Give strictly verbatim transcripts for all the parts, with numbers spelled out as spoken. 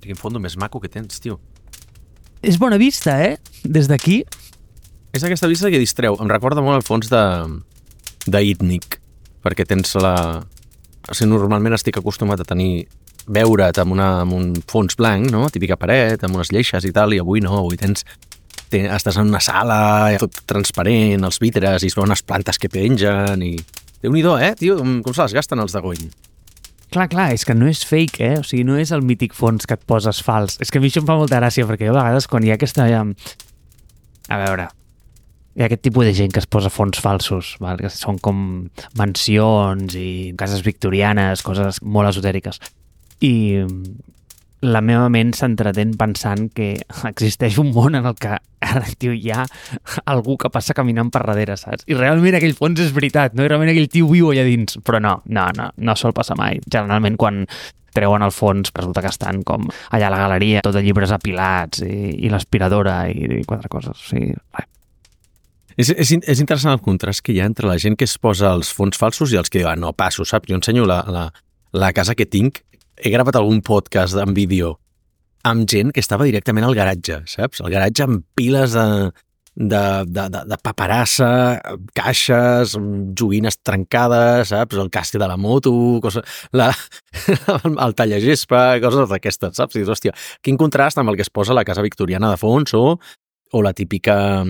Quin fondo més maco que tens, tio. És bona vista, eh? Des d'aquí. És aquesta vista que distreu. Em recorda molt el fons de d'Itnic, perquè tens la... O sigui, normalment estic acostumat a tenir veure't amb, una, amb un fons blanc, no? Típica paret, amb unes lleixes i tal, i avui no, avui tens... Ten, estàs en una sala, tot transparent, els vidres, i es veuen unes plantes que pengen, i... Déu-n'hi-do, eh, tio? Com, com se les gasten els de Gony? Clar, clar, és que no és fake, eh? O sigui, no és el mític fons que et poses fals. És que a mi això em fa molta gràcia, perquè jo a vegades quan hi ha aquesta... A veure, hi ha aquest tipus de gent que es posa fons falsos, val? Que són com mansions i cases victorianes, coses molt esotèriques. I la meva ment s'entretén pensant que existeix un món en el que ara, tio, hi ha algú que passa caminant per darrere, saps? I realment aquell fons és veritat, no? I realment aquell tio viu allà dins. Però no, no, no, no sol passar mai. Generalment quan treuen el fons resulta que estan com allà a la galeria, tot de llibres apilats i, i l'aspiradora i, i quatre coses. O sigui, res. És, és, és interessant el contrast que hi ha entre la gent que es posa els fons falsos i els que diuen, no, passo, saps? Jo ensenyo la, la, la casa que tinc. He gravat algun podcast en vídeo amb gent que estava directament al garatge, saps? El garatge amb piles de, de, de, de, de paperassa, caixes, joguines trencades, saps? El casc de la moto, cosa, la, el tallagespa, coses d'aquestes, saps? I dius, hòstia, quin contrast amb el que es posa la casa victoriana de fons o, o la típica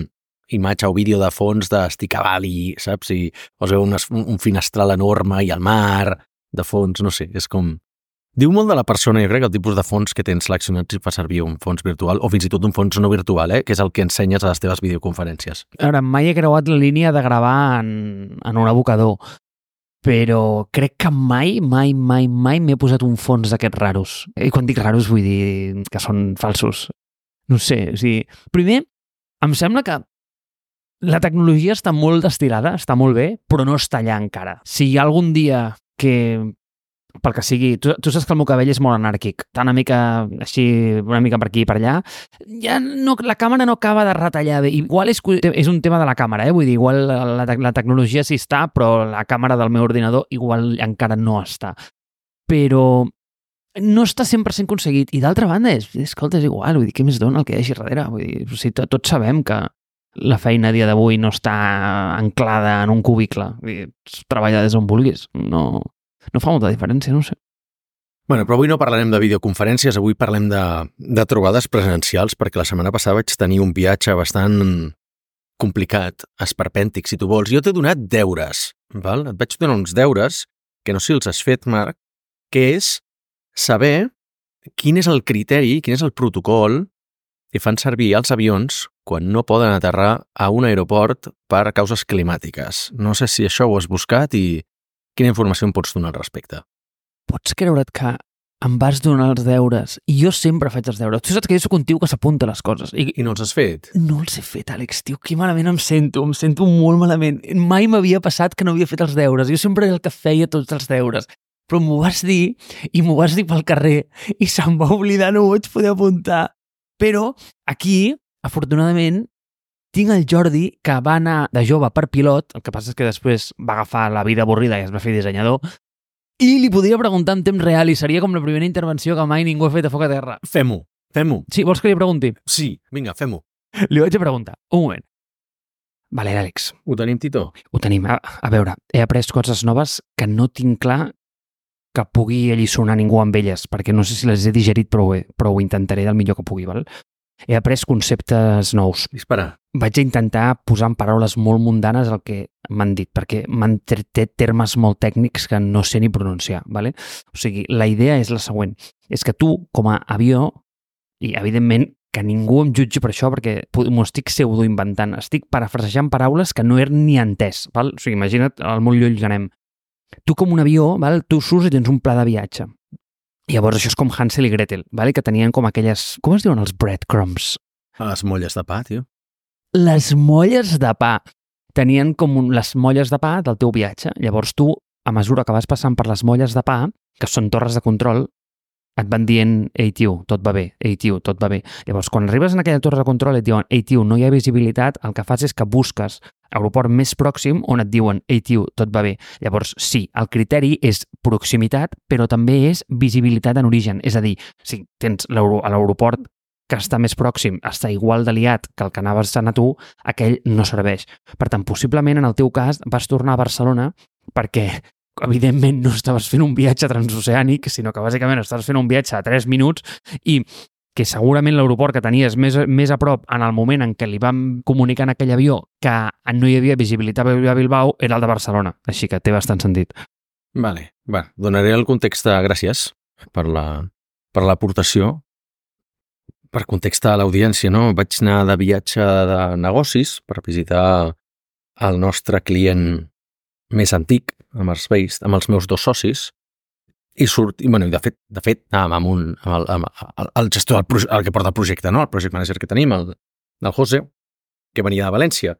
imatge o vídeo de fons d'estic a Bali, saps? I us veu un, un finestral enorme i el mar de fons, no sé, és com... Diu molt de la persona, jo crec, el tipus de fons que tens seleccionat si fa servir un fons virtual o fins i tot un fons no virtual, eh? Que és el que ensenyes a les teves videoconferències. A veure, mai he creuat la línia de gravar en, en un abocador, però crec que mai, mai, mai, mai m'he posat un fons d'aquests raros. I quan dic raros vull dir que són falsos. No sé, o sigui... Primer, em sembla que la tecnologia està molt destilada, està molt bé, però no està allà encara. Si hi ha algun dia que... pel que sigui, tu, tu saps que el meu cabell és molt anàrquic, tant una mica així, una mica per aquí i per allà, ja no, la càmera no acaba de retallar bé. Igual és, és un tema de la càmera, eh? Vull dir, igual la, la tecnologia sí està, però la càmera del meu ordinador igual encara no està. Però no està cent per cent aconseguit. I d'altra banda, és, escolta, és igual, vull dir, què més dona el que hi hagi darrere? Vull dir, o sigui, tots sabem que la feina a dia d'avui no està anclada en un cubicle. Vull dir, treballar des on vulguis, no... No fa molta diferència, no sé. Bueno, però avui no parlarem de videoconferències, avui parlem de, de trobades presencials, perquè la setmana passada vaig tenir un viatge bastant complicat, esperpèntic, si tu vols. Jo t'he donat deures, val? Et vaig donar uns deures, que no sé si els has fet, Marc, que és saber quin és el criteri, quin és el protocol que fan servir els avions quan no poden aterrar a un aeroport per causes climàtiques. No sé si això ho has buscat i quina informació em pots donar al respecte? Pots creure't que em vas donar els deures i jo sempre faig els deures. Tu saps que jo soc un tio que s'apunta les coses. I, I no els has fet? No els he fet, Àlex, tio. Que malament em sento. Em sento molt malament. Mai m'havia passat que no havia fet els deures. Jo sempre era el que feia tots els deures. Però m'ho vas dir i m'ho vas dir pel carrer i se'm va oblidar, no ho vaig poder apuntar. Però aquí, afortunadament, tinc el Jordi, que va anar de jove per pilot, el que passa és que després va agafar la vida avorrida i es va fer dissenyador, i li podria preguntar en temps real i seria com la primera intervenció que mai ningú ha fet a foc a terra. Fem-ho, fem-ho. Sí, vols que li pregunti? Sí, vinga, fem-ho. Li vaig a preguntar. Un moment. Vale, Àlex. Ho tenim, Tito? Ho tenim. A, a veure, he après coses noves que no tinc clar que pugui alliçonar ningú amb elles, perquè no sé si les he digerit, però ho, he, però ho intentaré del millor que pugui, val? He après conceptes nous. Dispara. Vaig a intentar posar en paraules molt mundanes el que m'han dit, perquè m'han tret termes molt tècnics que no sé ni pronunciar, ¿vale? O sigui, la idea és la següent. És que tu, com a avió, i evidentment que ningú em jutgi per això, perquè m'ho estic pseudoinventant, estic parafrasejant paraules que no he ni entès, val? O sigui, imagina't el molt lluny que anem. Tu com un avió, val? Tu surts i tens un pla de viatge. Llavors això és com Hansel i Gretel, vale? Que tenien com aquelles... Com es diuen els breadcrumbs? Les molles de pa, tio. Les molles de pa. Tenien com un, les molles de pa del teu viatge. Llavors tu, a mesura que vas passant per les molles de pa, que són torres de control, et van dient, ei, tio, tot va bé, ei, tio, tot va bé. Llavors, quan arribes en aquella torre de control i et diuen, ei, tio, no hi ha visibilitat, el que fas és que busques aeroport més pròxim on et diuen, ei, tio, tot va bé. Llavors, sí, el criteri és proximitat, però també és visibilitat en origen. És a dir, si tens l'aeroport que està més pròxim, està igual de liat que el que anaves a anar tu, aquell no serveix. Per tant, possiblement, en el teu cas, vas tornar a Barcelona perquè evidentment no estaves fent un viatge transoceànic, sinó que bàsicament estaves fent un viatge de tres minuts i que segurament l'aeroport que tenies més, més a prop en el moment en què li vam comunicar en aquell avió que no hi havia visibilitat a Bilbao era el de Barcelona. Així que té bastant sentit. Vale, va, donaré el context de gràcies per la, per l'aportació. Per context a l'audiència, no? Vaig anar de viatge de negocis per visitar el nostre client més antic, amb els, veïs, amb els meus dos socis, i surt, i, bueno, de fet, de fet anàvem amb, un, amb, el, amb el, el gestor, el, el que porta el projecte, no? El project manager que tenim, el, el José, que venia de València.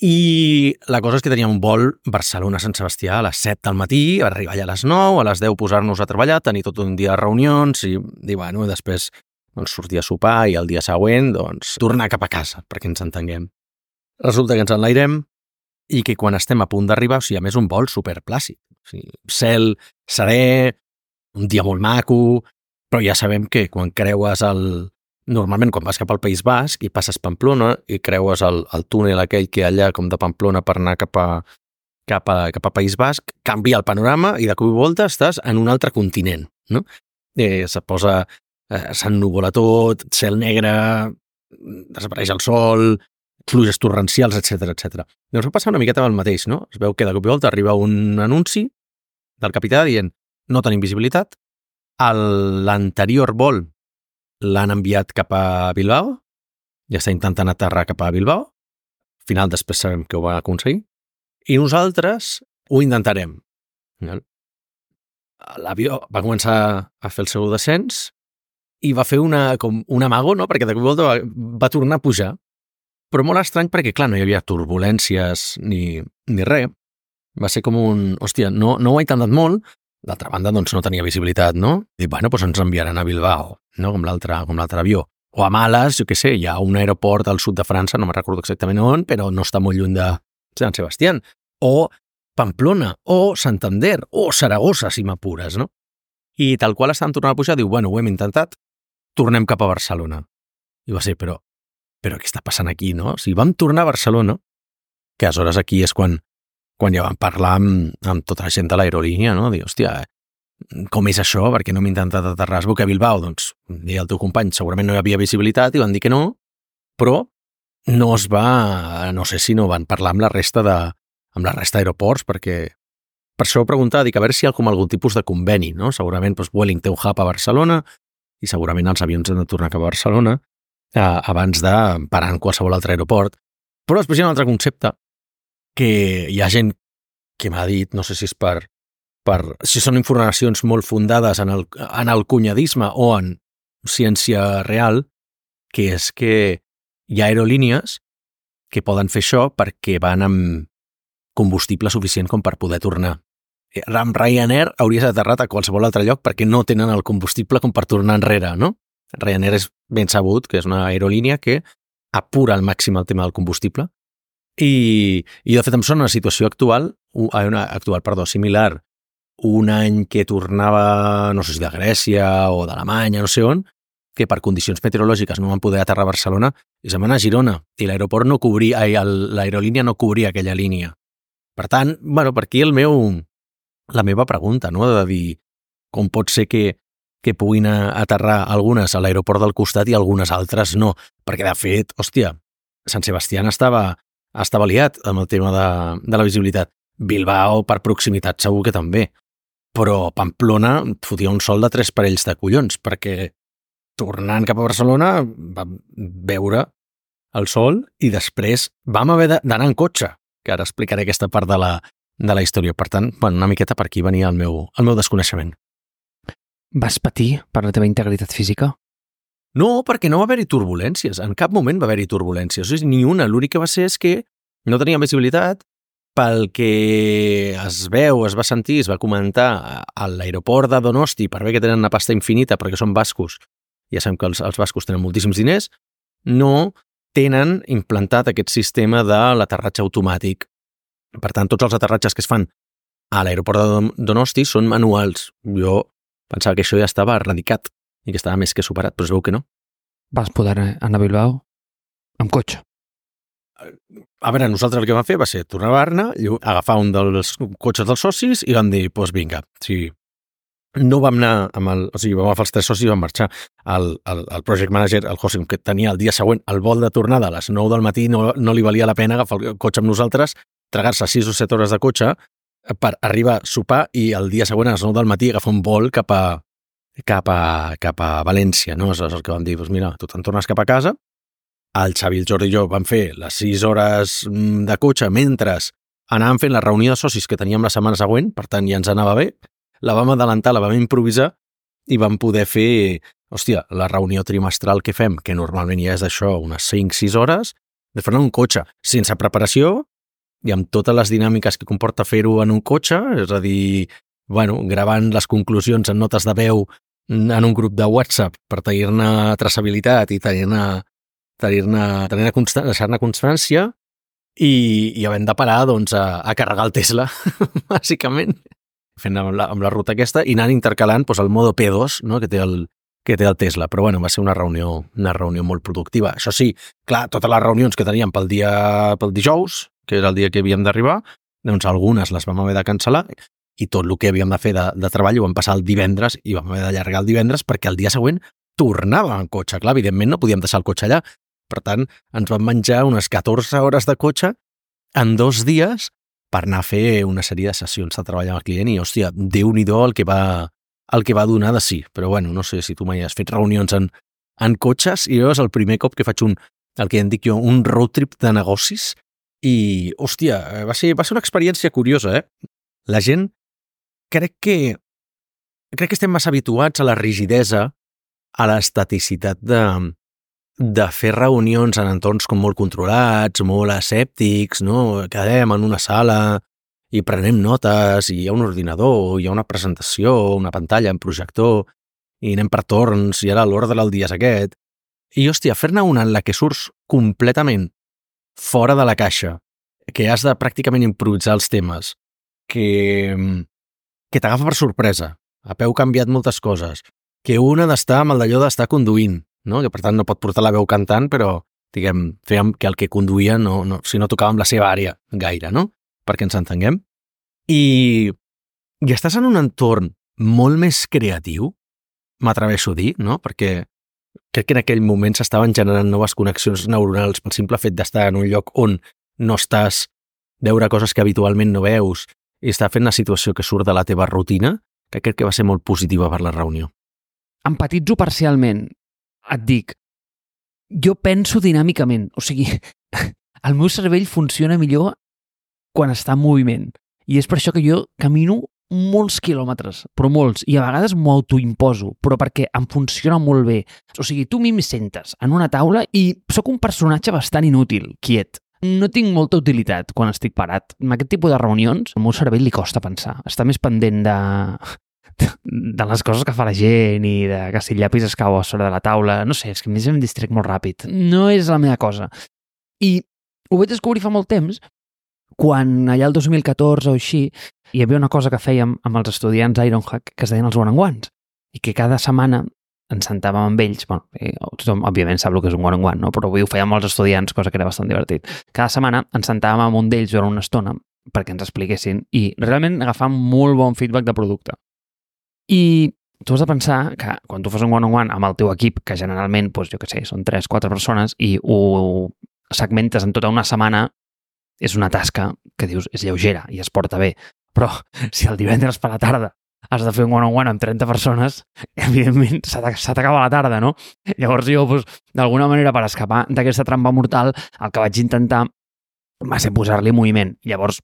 I la cosa és que teníem un vol Barcelona-Sant Sebastià a les set del matí, arribar allà a les nou, a les deu posar-nos a treballar, tenir tot un dia de reunions, i, i bueno, després doncs, sortir a sopar i el dia següent doncs, tornar cap a casa, perquè ens entenguem. Resulta que ens enlairem i que quan estem a punt d'arribar, o sigui, a més un vol superplàcid. O sigui, cel, serè, un dia molt maco, però ja sabem que quan creues el... Normalment, quan vas cap al País Basc i passes Pamplona i creues el, el túnel aquell que hi ha allà com de Pamplona per anar cap a, cap a, cap a País Basc, canvia el panorama i de cop i volta estàs en un altre continent, no? Eh, se posa... Eh, s'ennuvola tot, cel negre, desapareix el sol, pluges torrencials, etcètera, etcètera. Llavors va passar una miqueta amb el mateix, no? Es veu que de cop i volta arriba un anunci del capità dient no tenim visibilitat, l'anterior vol l'han enviat cap a Bilbao, ja està intentant aterrar cap a Bilbao, al final després sabem que ho va aconseguir, i nosaltres ho intentarem. L'avió va començar a fer el seu descens i va fer una, com un amago, no? Perquè de cop i volta va, va tornar a pujar. Però molt estrany perquè, clar, no hi havia turbulències ni, ni res. Va ser com un... Hòstia, no, no ho ha intentat molt. D'altra banda, doncs no tenia visibilitat, no? I, bueno, doncs ens enviaran a Bilbao, no? Com l'altre com l'altre avió. O a Males, jo què sé, hi ha un aeroport al sud de França, no me'n recordo exactament on, però no està molt lluny de Sant Sebastián. O Pamplona, o Santander, o Saragossa, si m'apures, no? I tal qual estàvem tornant a pujar, diu, bueno, ho hem intentat, tornem cap a Barcelona. I va ser, però, però què està passant aquí, no? O sigui, vam tornar a Barcelona, que aleshores aquí és quan, quan ja vam parlar amb, amb tota la gent de l'aerolínia, no? Dir, hòstia, com és això? Per què no hem intentat aterrar a Bilbao? Doncs, deia el teu company, segurament no hi havia visibilitat i van dir que no, però no es va, no sé si no van parlar amb la resta de, amb la resta d'aeroports, perquè per això ho preguntava, dic, a veure si hi ha com algun tipus de conveni, no? Segurament, doncs, Vueling té un hub a Barcelona, i segurament els avions han de tornar cap a Barcelona eh, abans de parar en qualsevol altre aeroport. Però després hi ha un altre concepte que hi ha gent que m'ha dit, no sé si és per, per si són informacions molt fundades en el, en el cunyadisme o en ciència real, que és que hi ha aerolínies que poden fer això perquè van amb combustible suficient com per poder tornar. Amb Ryanair hauries aterrat a qualsevol altre lloc perquè no tenen el combustible com per tornar enrere, no? Ryanair és ben sabut que és una aerolínia que apura al màxim el tema del combustible i, i de fet em sona una situació actual, una actual, perdó, similar, un any que tornava, no sé si de Grècia o d'Alemanya, no sé on, que per condicions meteorològiques no van poder aterrar a Barcelona i se'n van a Girona i l'aeroport no cobria, l'aerolínia no cobria aquella línia. Per tant, bueno, per aquí el meu... la meva pregunta, no? De dir com pot ser que, que puguin aterrar algunes a l'aeroport del costat i algunes altres no. Perquè, de fet, hòstia, Sant Sebastián estava, estava liat amb el tema de, de la visibilitat. Bilbao, per proximitat, segur que també. Però Pamplona fotia un sol de tres parells de collons, perquè tornant cap a Barcelona vam veure el sol i després vam haver d'anar en cotxe, que ara explicaré aquesta part de la de la història. Per tant, bueno, una miqueta per aquí venia el meu, el meu desconeixement. Vas patir per la teva integritat física? No, perquè no va haver-hi turbulències. En cap moment va haver-hi turbulències. O sigui, ni una. L'únic que va ser és que no tenia visibilitat, pel que es veu, es va sentir, es va comentar a l'aeroport de Donosti, per bé que tenen una pasta infinita perquè són bascos, ja sabem que els, els bascos tenen moltíssims diners, no tenen implantat aquest sistema de l'aterratge automàtic. Per tant, tots els aterratges que es fan a l'aeroport de Donosti són manuals. Jo pensava que això ja estava erradicat i que estava més que superat, però es veu que no. Vas poder anar a Bilbao amb cotxe? A veure, nosaltres el que vam fer va ser tornar a Barna, agafar un dels cotxes dels socis i vam dir, doncs pues vinga, sí. No vam anar amb el... O sigui, vam agafar els tres socis i vam marxar. El, el, el project manager, el José, que tenia el dia següent el vol de tornada a les nou del matí, no, no li valia la pena agafar el cotxe amb nosaltres, tragar-se sis o set hores de cotxe per arribar a sopar i el dia següent a les nou del matí agafar un vol cap a, cap a, cap a València, no? És el que vam dir, doncs mira, tu te'n tornes cap a casa. El Xavi, el Jordi i jo vam fer les sis hores de cotxe mentre anàvem fent la reunió de socis que teníem la setmana següent, per tant ja ens anava bé. La vam adelantar, la vam improvisar i vam poder fer, hòstia, la reunió trimestral que fem, que normalment ja és d'això, unes cinc sis hores, de fer-ne un cotxe, sense preparació i amb totes les dinàmiques que comporta fer-ho en un cotxe, és a dir, bueno, gravant les conclusions en notes de veu en un grup de WhatsApp per tenir-ne traçabilitat i tenir-ne tenir-ne, tenir-ne constant, deixar-ne constància i, i havent de parar doncs, a, a carregar el Tesla, bàsicament, fent amb la, amb la ruta aquesta i anant intercalant doncs, el modo P dos, no? que, té el, que té el Tesla. Però bueno, va ser una reunió, una reunió molt productiva. Això sí, clar, totes les reunions que teníem pel dia pel dijous, que era el dia que havíem d'arribar, doncs algunes les vam haver de cancel·lar i tot el que havíem de fer de, de treball ho vam passar el divendres i vam haver d'allargar el divendres perquè el dia següent tornàvem en cotxe. Clar, evidentment no podíem deixar el cotxe allà. Per tant, ens vam menjar unes catorze hores de cotxe en dos dies per anar a fer una sèrie de sessions de treball amb el client i, hòstia, Déu-n'hi-do el que va, el que va donar de sí. Però, bueno, no sé si tu mai has fet reunions en, en cotxes i jo és el primer cop que faig un, el que en dic jo, un road trip de negocis i, hòstia, va ser, va ser una experiència curiosa, eh? La gent, crec que, crec que estem massa habituats a la rigidesa, a l'estaticitat de de fer reunions en entorns com molt controlats, molt asèptics, no? Quedem en una sala i prenem notes i hi ha un ordinador, hi ha una presentació, una pantalla, un projector, i anem per torns i ara l'ordre del dia és aquest. I, hòstia, fer-ne una en la que surts completament fora de la caixa, que has de pràcticament improvisar els temes, que, que t'agafa per sorpresa, a peu canviat moltes coses, que un ha d'estar amb el d'allò d'estar conduint, no? Que per tant no pot portar la veu cantant, però diguem, fèiem que el que conduïa no, no, si no tocava amb la seva àrea gaire, no? Perquè ens entenguem. I, i estàs en un entorn molt més creatiu, m'atreveixo a dir, no? Perquè crec que en aquell moment s'estaven generant noves connexions neuronals pel simple fet d'estar en un lloc on no estàs, veure coses que habitualment no veus i estar fent una situació que surt de la teva rutina, que crec que va ser molt positiva per la reunió. Empatitzo parcialment. Et dic, jo penso dinàmicament, o sigui, el meu cervell funciona millor quan està en moviment. I és per això que jo camino molts quilòmetres, però molts, i a vegades m'ho autoimposo, però perquè em funciona molt bé. O sigui, tu a mi em sentes en una taula i sóc un personatge bastant inútil, quiet. No tinc molta utilitat quan estic parat. En aquest tipus de reunions, al meu cervell li costa pensar. Està més pendent de... de les coses que fa la gent i de que si el llapis es cau a sobre de la taula, no sé, és que a més em distrec molt ràpid. No és la meva cosa. I ho vaig descobrir fa molt temps, quan allà el dos mil catorze o així hi havia una cosa que fèiem amb els estudiants Ironhack que es deien els one-on-ones i que cada setmana ens sentàvem amb ells, bueno, tothom òbviament sap el que és un one-on-one, no? Però avui ho fèiem amb els estudiants, cosa que era bastant divertit. Cada setmana ens sentàvem amb un d'ells durant una estona perquè ens expliquessin i realment agafàvem molt bon feedback de producte. I tu has de pensar que quan tu fas un one-on-one amb el teu equip, que generalment, doncs, jo què sé, són tres quatre persones, i ho segmentes en tota una setmana, és una tasca que dius és lleugera i es porta bé. Però si el divendres per la tarda has de fer un one-on-one amb trenta persones, evidentment s'ha t'acaba la tarda, no? Llavors jo, doncs, d'alguna manera, per escapar d'aquesta trampa mortal, el que vaig intentar va ser posar-li moviment. Llavors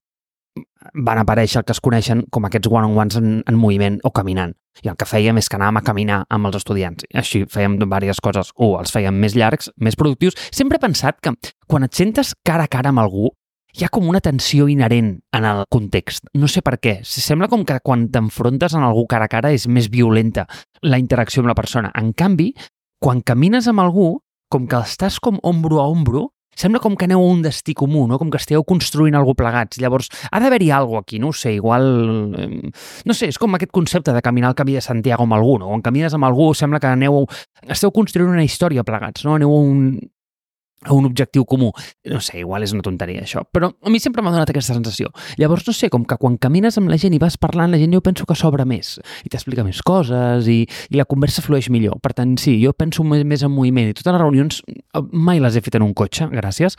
van aparèixer el que es coneixen com aquests one-on-ones en, en moviment o caminant. I el que fèiem és que anàvem a caminar amb els estudiants. Així fèiem diverses coses. Un, els fèiem més llargs, més productius. Sempre he pensat que quan et sentes cara a cara amb algú hi ha com una tensió inherent en el context. No sé per què. Sembla com que quan t'enfrontes amb algú cara a cara és més violenta la interacció amb la persona. En canvi, quan camines amb algú, com que estàs com ombro a ombro, sembla com que aneu a un destí comú, no? Com que esteu construint alguna cosa plegats. Llavors, ha d'haver-hi alguna cosa aquí, no ho sé, igual... No sé, és com aquest concepte de caminar el camí de Santiago amb algú, no? Quan camines amb algú sembla que aneu... Esteu construint una història plegats, no? Aneu a un... a un objectiu comú. No sé, igual és una tonteria això, però a mi sempre m'ha donat aquesta sensació. Llavors, no sé, com que quan camines amb la gent i vas parlant, la gent jo penso que s'obre més i t'explica més coses i, i la conversa flueix millor. Per tant, sí, jo penso més, més en moviment i totes les reunions mai les he fet en un cotxe, gràcies.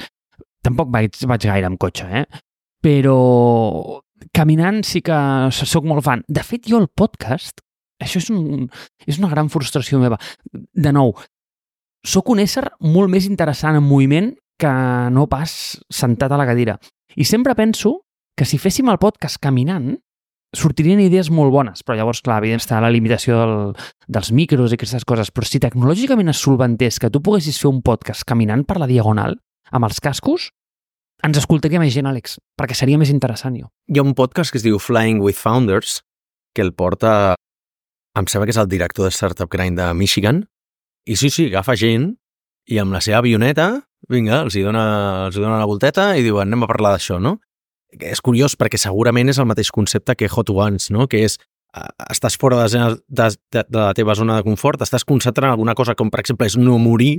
Tampoc vaig, vaig gaire amb cotxe, eh? Però caminant sí que sóc molt fan. De fet, jo el podcast, això és, un, és una gran frustració meva. De nou, soc un ésser molt més interessant en moviment que no pas sentat a la cadira. I sempre penso que si féssim el podcast caminant, sortirien idees molt bones, però llavors, clar, evidentment està la limitació del, dels micros i aquestes coses, però si tecnològicament es solventés que tu poguessis fer un podcast caminant per la diagonal, amb els cascos, ens escoltaria més gent, Àlex, perquè seria més interessant, jo. Hi ha un podcast que es diu Flying with Founders, que el porta, em sembla que és el director de Startup Grind de Michigan, i sí, sí, agafa gent i amb la seva avioneta, vinga, els hi dona, els hi dona la volteta i diuen, anem a parlar d'això, no? És curiós perquè segurament és el mateix concepte que Hot Ones, no? Que és, estàs fora de, de, de, de la teva zona de confort, estàs concentrant en alguna cosa com, per exemple, és no morir,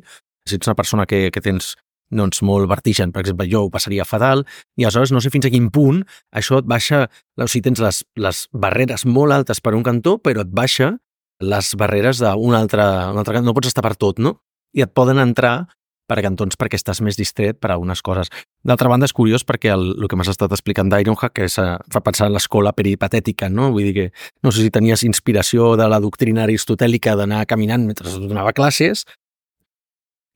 si ets una persona que, que tens doncs, molt vertigen, per exemple, jo ho passaria fatal, i aleshores no sé fins a quin punt això et baixa, o sigui, tens les, les barreres molt altes per un cantó, però et baixa les barreres d'un altre, un altre cantó, no pots estar per tot, no? I et poden entrar per cantons perquè estàs més distret per a algunes coses. D'altra banda, és curiós perquè el, el que m'has estat explicant d'Ironhack que és, fa pensar en l'escola peripatètica, no? Vull dir que no sé si tenies inspiració de la doctrina aristotèlica d'anar caminant mentre donava classes,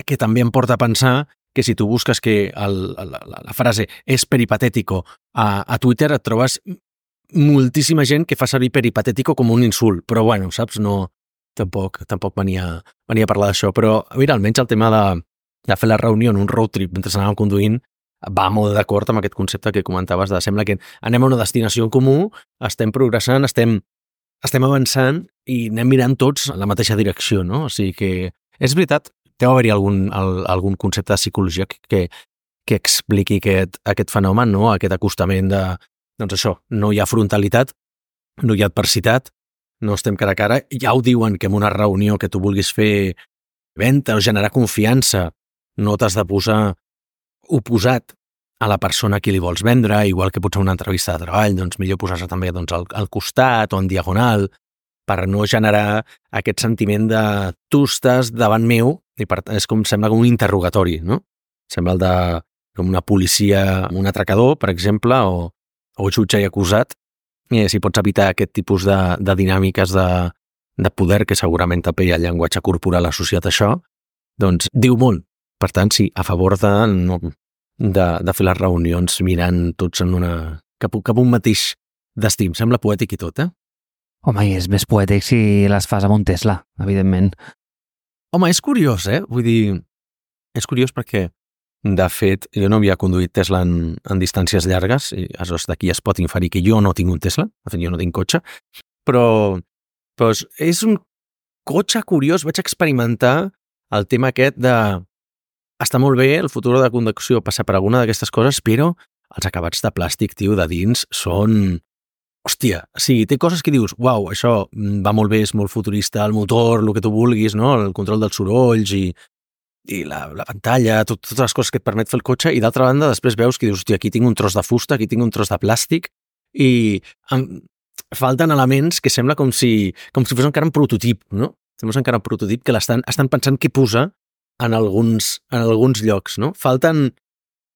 que també em porta a pensar que si tu busques que el, la, la, la frase és peripatètico a, a Twitter et trobes moltíssima gent que fa servir peripatètico com un insult, però bueno, saps, no, tampoc, tampoc venia, venia a parlar d'això, però mira, almenys el tema de, de fer la reunió en un road trip mentre anàvem conduint va molt d'acord amb aquest concepte que comentaves de sembla que anem a una destinació en comú, estem progressant, estem, estem avançant i anem mirant tots en la mateixa direcció, no? O sigui que és veritat, deu haver-hi algun, el, algun concepte de psicologia que, que expliqui aquest, aquest fenomen, no? Aquest acostament de doncs això, no hi ha frontalitat, no hi ha adversitat, no estem cara a cara. Ja ho diuen que en una reunió que tu vulguis fer venda o generar confiança, no t'has de posar oposat a la persona a qui li vols vendre, igual que potser una entrevista de treball, doncs millor posar-se també doncs, al, al costat o en diagonal, per no generar aquest sentiment de tu estàs davant meu, i per tant és com, sembla com un interrogatori, no? Sembla el de com una policia, un atracador, per exemple, o o jutge i acusat, i si pots evitar aquest tipus de, de dinàmiques de, de poder, que segurament també el llenguatge corporal associat a això, doncs diu molt. Per tant, sí, a favor de, no, de, de fer les reunions mirant tots en una, cap, cap un mateix destí. Em sembla poètic i tot, eh? Home, i és més poètic si les fas amb un Tesla, evidentment. Home, és curiós, eh? Vull dir, és curiós perquè de fet, jo no havia conduït Tesla en, en distàncies llargues, i aleshores d'aquí es pot inferir que jo no tinc un Tesla, de fet jo no tinc cotxe, però, però és un cotxe curiós, vaig experimentar el tema aquest de està molt bé el futur de conducció passar per alguna d'aquestes coses, però els acabats de plàstic, tio, de dins són... Hòstia, sí, té coses que dius, uau, això va molt bé, és molt futurista, el motor, el que tu vulguis, no? El control dels sorolls i i la, la pantalla, tot, totes les coses que et permet fer el cotxe, i d'altra banda després veus que dius, hòstia, aquí tinc un tros de fusta, aquí tinc un tros de plàstic, i em, falten elements que sembla com si, com si fos encara un prototip, no? Sembla encara un prototip que l'estan estan pensant què posar en alguns, en alguns llocs, no? Falten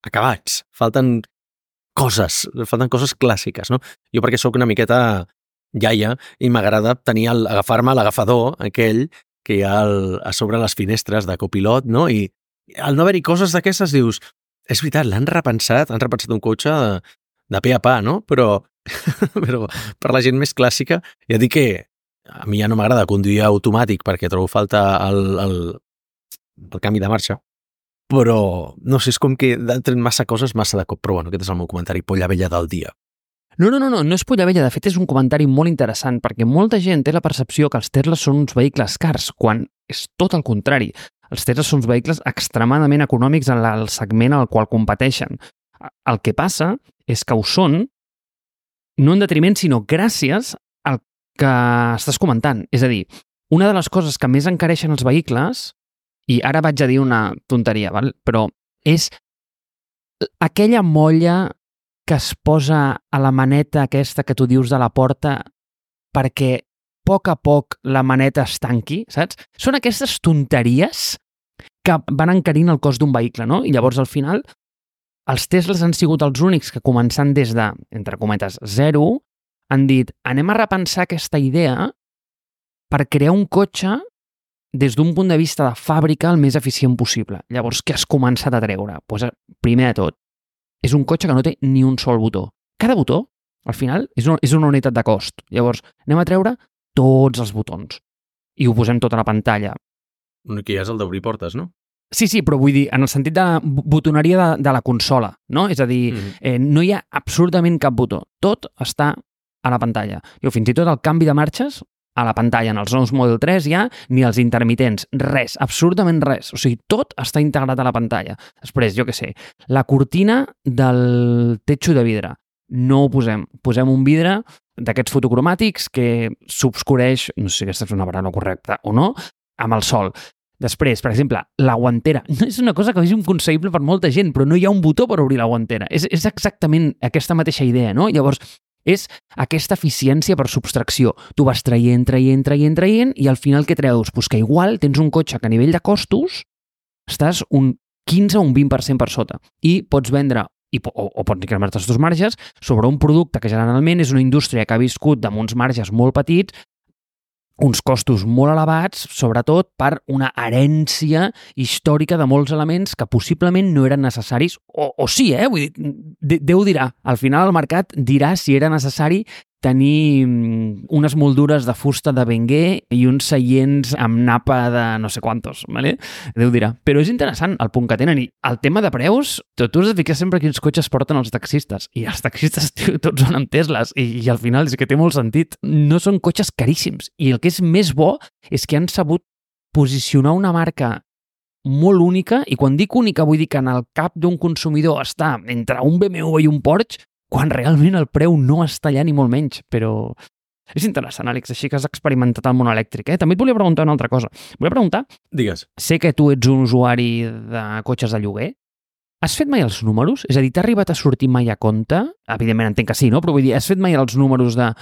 acabats, falten coses, falten coses clàssiques, no? Jo perquè sóc una miqueta iaia i m'agrada tenir el, agafar-me l'agafador aquell que hi ha el, a sobre les finestres de copilot, no? I al no haver-hi coses d'aquestes dius, és veritat, l'han repensat, han repensat un cotxe de, de pe a pa, no? Però, però per la gent més clàssica, ja dic que a mi ja no m'agrada conduir automàtic perquè trobo falta el, el, el canvi de marxa. però no sé, és com que han tret massa coses massa de cop, però bueno, aquest és el meu comentari polla vella del dia. No, no, no, no, no és polla vella, de fet és un comentari molt interessant perquè molta gent té la percepció que els Tesla són uns vehicles cars, quan és tot el contrari. Els Tesla són uns vehicles extremadament econòmics en el segment al qual competeixen. El que passa és que ho són no en detriment, sinó gràcies al que estàs comentant. És a dir, una de les coses que més encareixen els vehicles, i ara vaig a dir una tonteria, val? Però és aquella molla que es posa a la maneta aquesta que tu dius de la porta perquè a poc a poc la maneta es tanqui, saps? Són aquestes tonteries que van encarint el cost d'un vehicle, no? I llavors, al final, els Teslas han sigut els únics que, començant des de, entre cometes, zero, han dit, anem a repensar aquesta idea per crear un cotxe des d'un punt de vista de fàbrica el més eficient possible. Llavors, què has començat a treure? Pues, primer de tot, és un cotxe que no té ni un sol botó. Cada botó, al final, és una, és una unitat de cost. Llavors, anem a treure tots els botons i ho posem tot a la pantalla. Que ja és el d'obrir portes, no? Sí, sí, però vull dir, en el sentit de botoneria de, de la consola, no? És a dir, mm. eh, no hi ha absolutament cap botó. Tot està a la pantalla. I fins i tot el canvi de marxes a la pantalla. En els nous Model tres ja ni els intermitents, res, absolutament res. O sigui, tot està integrat a la pantalla. Després, jo què sé, la cortina del techo de vidre. No ho posem. Posem un vidre d'aquests fotocromàtics que s'obscureix, no sé si aquesta és una paraula correcta o no, amb el sol. Després, per exemple, la guantera. No és una cosa que és inconcebible per molta gent, però no hi ha un botó per obrir la guantera. És, és exactament aquesta mateixa idea, no? Llavors, és aquesta eficiència per subtracció. Tu vas traient, traient, traient, traient, i al final què treus? Pues que igual tens un cotxe que a nivell de costos estàs un quinze o un vint per cent per sota. I pots vendre, i, o, o pots incrementar els teus marges, sobre un producte que generalment és una indústria que ha viscut amb uns marges molt petits, uns costos molt elevats, sobretot per una herència històrica de molts elements que possiblement no eren necessaris, o, o sí, eh? Vull dir, Déu dirà. Al final el mercat dirà si era necessari tenir unes moldures de fusta de Benguer i uns seients amb napa de no sé quantos, ¿vale? Déu dirà. Però és interessant el punt que tenen. I el tema de preus, tu, tu has de ficar sempre quins cotxes porten els taxistes. I els taxistes, tio, tots són amb Tesles. I, I al final és que té molt sentit. No són cotxes caríssims. I el que és més bo és que han sabut posicionar una marca molt única, i quan dic única vull dir que en el cap d'un consumidor està entre un B M W i un Porsche, quan realment el preu no està allà ni molt menys, però és interessant, Àlex, així que has experimentat el món elèctric. Eh? També et volia preguntar una altra cosa. Volia preguntar, digues, sé que tu ets un usuari de cotxes de lloguer, has fet mai els números? És a dir, t'ha arribat a sortir mai a compte? Evidentment entenc que sí, no? Però vull dir, has fet mai els números de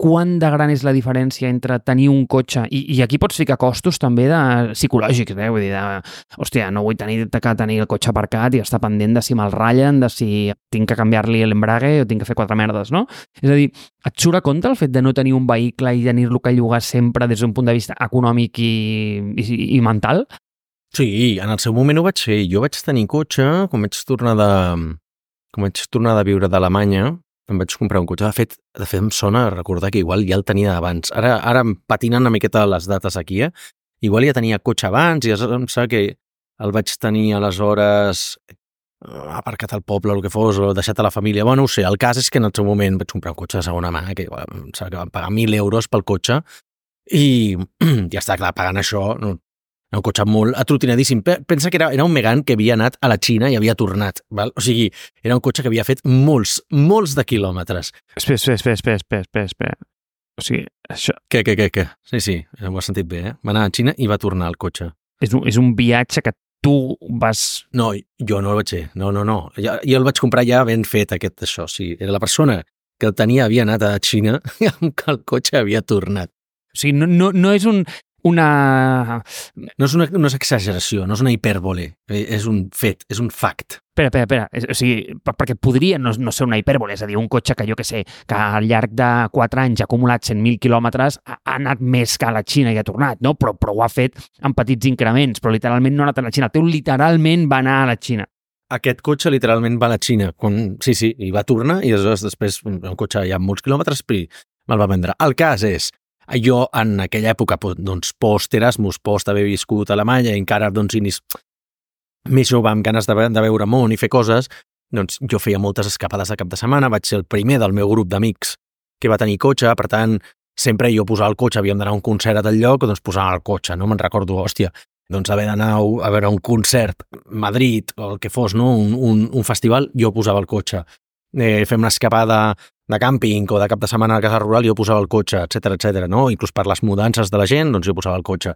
quant de gran és la diferència entre tenir un cotxe, i, i aquí pots ficar costos també de psicològics, eh? Vull dir, de, hòstia, no vull tenir que tenir el cotxe aparcat i estar pendent de si me'l ratllen, de si tinc que canviar-li l'embrague o tinc que fer quatre merdes, no? És a dir, et surt a compte el fet de no tenir un vehicle i tenir-lo que llogar sempre des d'un punt de vista econòmic i, i, i mental? Sí, en el seu moment ho vaig fer. Jo vaig tenir cotxe, quan vaig tornar de, quan vaig tornar de viure d'Alemanya, em vaig comprar un cotxe. De fet, de fet, em sona recordar que igual ja el tenia abans. Ara, ara em patinen una miqueta les dates aquí, eh? Igual ja tenia cotxe abans i em sembla que el vaig tenir aleshores aparcat al poble o el que fos, o deixat a la família. Bueno, no ho sé, el cas és que en el seu moment vaig comprar un cotxe de segona mà, que igual, em sembla que vam pagar mil euros pel cotxe i ja està, clar, pagant això, no, un cotxe molt atrotinadíssim. Pensa que era, era un Megane que havia anat a la Xina i havia tornat. Val? O sigui, era un cotxe que havia fet molts, molts de quilòmetres. Espera, espera, espera, espera, espera, espera, espera. O sigui, això... Què, què, què, què? Sí, sí, ho has sentit bé, eh? Va anar a Xina i va tornar al cotxe. És un, és un viatge que tu vas... No, jo no el vaig fer. No, no, no. Jo, jo el vaig comprar ja ben fet, aquest, això. Sí, era la persona que el tenia havia anat a Xina i amb que el cotxe havia tornat. O sigui, no, no, no és un... una... No és una, no és exageració, no és una hipèrbole, és un fet, és un fact. Espera, espera, espera, o sigui, perquè podria no, no ser una hipèrbole, és a dir, un cotxe que jo que sé, que al llarg de quatre anys ha acumulat cent mil quilòmetres, ha, ha anat més que a la Xina i ha tornat, no? Però, però ho ha fet en petits increments, però literalment no ha anat a la Xina, el teu literalment va anar a la Xina. Aquest cotxe literalment va a la Xina, quan, sí, sí, i va tornar, i aleshores després, un cotxe ja amb molts quilòmetres, i me'l va vendre. El cas és, jo en aquella època, doncs, post-Erasmus, post haver viscut a Alemanya, i encara, doncs, inis... més jove, amb ganes de, de veure món i fer coses, doncs jo feia moltes escapades de cap de setmana, vaig ser el primer del meu grup d'amics que va tenir cotxe, per tant, sempre jo posava el cotxe, havíem d'anar a un concert a tal lloc, doncs posava el cotxe, no? Me'n recordo, hòstia, doncs haver d'anar a veure un concert a Madrid o el que fos, no? un, un, un festival, jo posava el cotxe. Eh, fem una escapada de càmping o de cap de setmana a la casa rural, jo posava el cotxe, etcètera, etcètera, no? Inclús per les mudances de la gent, doncs jo posava el cotxe.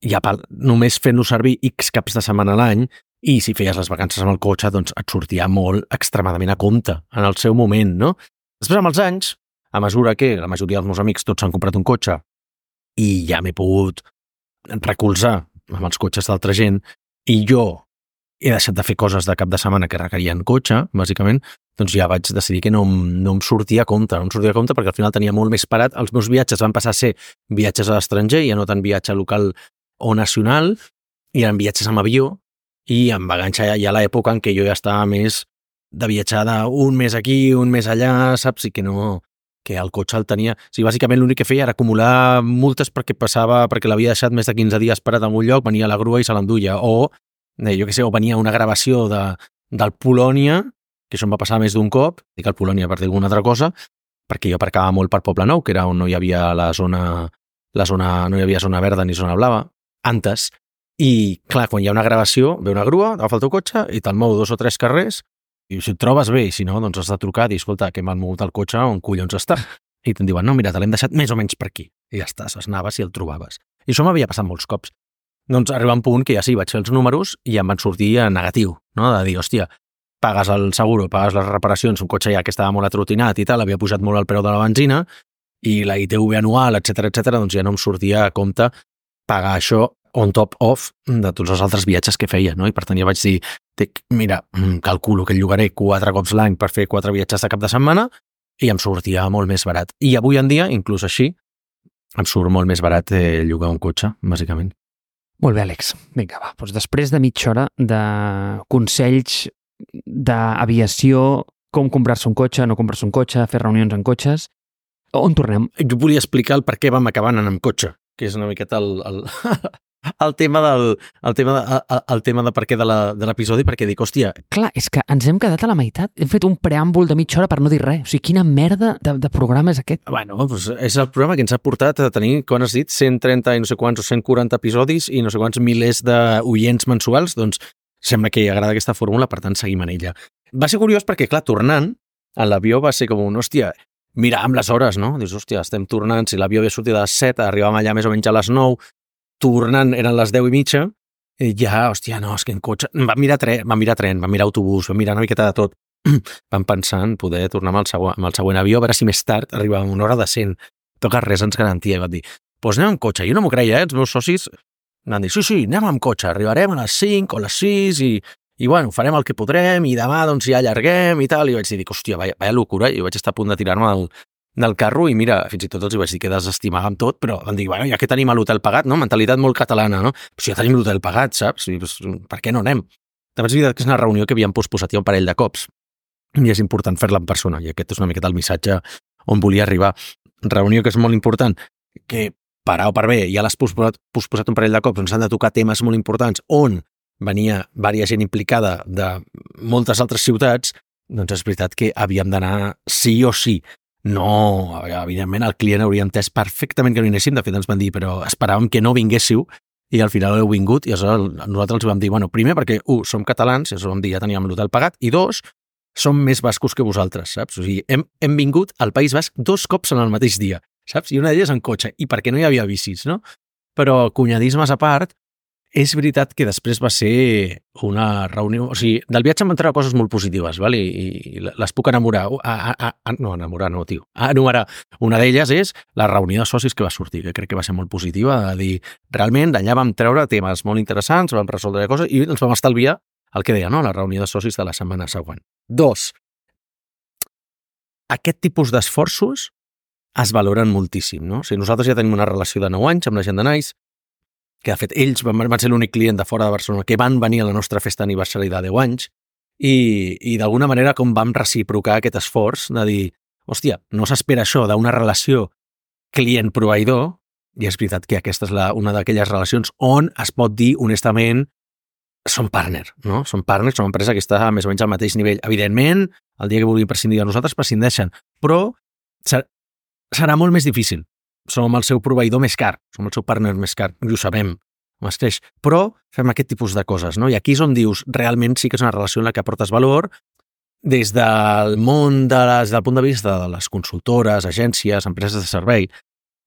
I a part, només fent-lo servir X caps de setmana a l'any, i si feies les vacances amb el cotxe, doncs et sortia molt extremadament a compte en el seu moment, no? Després, amb els anys, a mesura que la majoria dels meus amics tots s'han comprat un cotxe i ja m'he pogut recolzar amb els cotxes d'altra gent i jo he deixat de fer coses de cap de setmana que requerien cotxe, bàsicament, doncs ja vaig decidir que no, no em sortia a compte, no em sortia a compte perquè al final tenia molt més parat. Els meus viatges van passar a ser viatges a l'estranger, ja no tant viatge local o nacional, i eren viatges amb avió, i em va enganxar ja a l'època en què jo ja estava més de viatjar un mes aquí, un mes allà, saps? I que no... que el cotxe el tenia... O sigui, bàsicament l'únic que feia era acumular multes perquè passava, perquè l'havia deixat més de quinze dies parat en un lloc, venia la grua i se l'enduia, o, eh, jo què sé, o venia una gravació de, del Polònia, que això em va passar més d'un cop, dic el Polònia per dir alguna altra cosa, perquè jo aparcava molt per Poble Nou, que era on no hi havia la zona, la zona, no hi havia zona verda ni zona blava, antes, i clar, quan hi ha una gravació, ve una grua, agafa el teu cotxe i te'l mou dos o tres carrers. I si et trobes bé, i si no, doncs has de trucar i dir, escolta, que m'han mogut el cotxe, on collons està? I te'n diuen, no, mira, te l'hem deixat més o menys per aquí. I ja està, anaves i el trobaves. I això m'havia passat molts cops. Doncs arriba un punt que ja sí, vaig fer els números i em van sortir en negatiu, no? De dir, hòstia, pagues el seguro, pagues les reparacions, un cotxe ja que estava molt atrotinat i tal, havia pujat molt el preu de la benzina, i la I T V anual, etcètera, etcètera, doncs ja no em sortia a compte pagar això on top off de tots els altres viatges que feia, no? I per tant ja vaig dir, mira, calculo que llogaré quatre cops l'any per fer quatre viatges de cap de setmana i em sortia molt més barat. I avui en dia, inclús així, em surt molt més barat eh, llogar un cotxe, bàsicament. Molt bé, Àlex. Vinga, va. Doncs després de mitja hora de consells d'aviació, com comprar-se un cotxe, no comprar-se un cotxe, fer reunions en cotxes, on tornem? Jo volia explicar el per què vam acabar anant amb cotxe, que és una miqueta el... el... El tema del el tema de, el, el tema de per què de l'episodi, perquè dic, hòstia... Clar, és que ens hem quedat a la meitat. Hem fet un preàmbul de mitja hora per no dir res. O sigui, quina merda de, de programa és aquest? Bueno, doncs és el programa que ens ha portat a tenir, com has dit, cent trenta i no sé quants o cent quaranta episodis i no sé quants milers d'oients mensuals, doncs sembla que agrada aquesta fórmula, per tant seguim en ella. Va ser curiós perquè, clar, tornant, a l'avió va ser com un, hòstia, mira amb les hores, no? Dius, hòstia, estem tornant, si l'avió havia sortit a les set, arribàvem allà més o menys a les nou, tornant eren les deu i mitja, i ja, hòstia, no, és que en cotxe... Vam mirar tren, vam mirar tren, vam mirar autobús, vam mirar una miqueta de tot. Vam pensar en poder tornar amb el, següent, amb el següent avió, a veure si més tard arribàvem una hora decent. Però que res ens garantia. I vam dir, doncs anem amb cotxe. Jo no m'ho creia, eh? Els meus socis van dir, sí, sí, anem amb cotxe, arribarem a les cinc o a les sis i, i bueno, farem el que podrem i demà doncs ja allarguem i tal. I vaig dir, hòstia, vaya, vaya locura. I vaig estar a punt de tirar-me del, del carro i mira, fins i tot els hi vaig dir que desestimàvem tot, però van dir, bueno, ja que tenim l'hotel pagat, no? Mentalitat molt catalana, no? Però si ja tenim l'hotel pagat, saps? I, pues, per què no anem? També és veritat que és una reunió que havíem posposat ja un parell de cops i és important fer-la en persona i aquest és una miqueta el missatge on volia arribar. Reunió que és molt important, que per A o per B ja l'has posposat, posposat un parell de cops on s'han de tocar temes molt importants on venia vària gent implicada de moltes altres ciutats, doncs és veritat que havíem d'anar sí o sí. No, evidentment el client hauria entès perfectament que no hi anéssim, de fet ens van dir, però esperàvem que no vinguéssiu i al final heu vingut i aleshores nosaltres els vam dir, bueno, primer perquè, u, som catalans, i vam dir, ja teníem l'hotel pagat, i dos, som més bascos que vosaltres, saps? O sigui, hem, hem vingut al País Basc dos cops en el mateix dia, saps? I una d'elles en cotxe, i perquè no hi havia bicis, no? Però cunyadismes a part, és veritat que després va ser una reunió... O sigui, del viatge em van treure coses molt positives, val? I, i les puc enamorar. A, a, a, no, enamorar no, tio. A enumerar. Una d'elles és la reunió de socis que va sortir, que crec que va ser molt positiva, de dir, realment, d'allà vam treure temes molt interessants, vam resoldre coses i ens vam estalviar el que deia, no?, la reunió de socis de la setmana següent. Dos, aquest tipus d'esforços es valoren moltíssim, no? O sigui, nosaltres ja tenim una relació de nou anys amb la gent de Nice, que de fet ells van, van ser l'únic client de fora de Barcelona que van venir a la nostra festa d'aniversari de deu anys i, i d'alguna manera com vam reciprocar aquest esforç de dir, hòstia, no s'espera això d'una relació client-proveïdor i és veritat que aquesta és la, una d'aquelles relacions on es pot dir honestament són partner, no? Són partners, són una empresa que està més o menys al mateix nivell. Evidentment, el dia que vulguin prescindir de nosaltres, prescindeixen, però serà molt més difícil. Som el seu proveïdor més car, som el seu partner més car, i ho sabem, es creix. Però fem aquest tipus de coses, no? I aquí és on dius, realment sí que és una relació en la que aportes valor des del món, de les, del punt de vista de les consultores, agències, empreses de servei.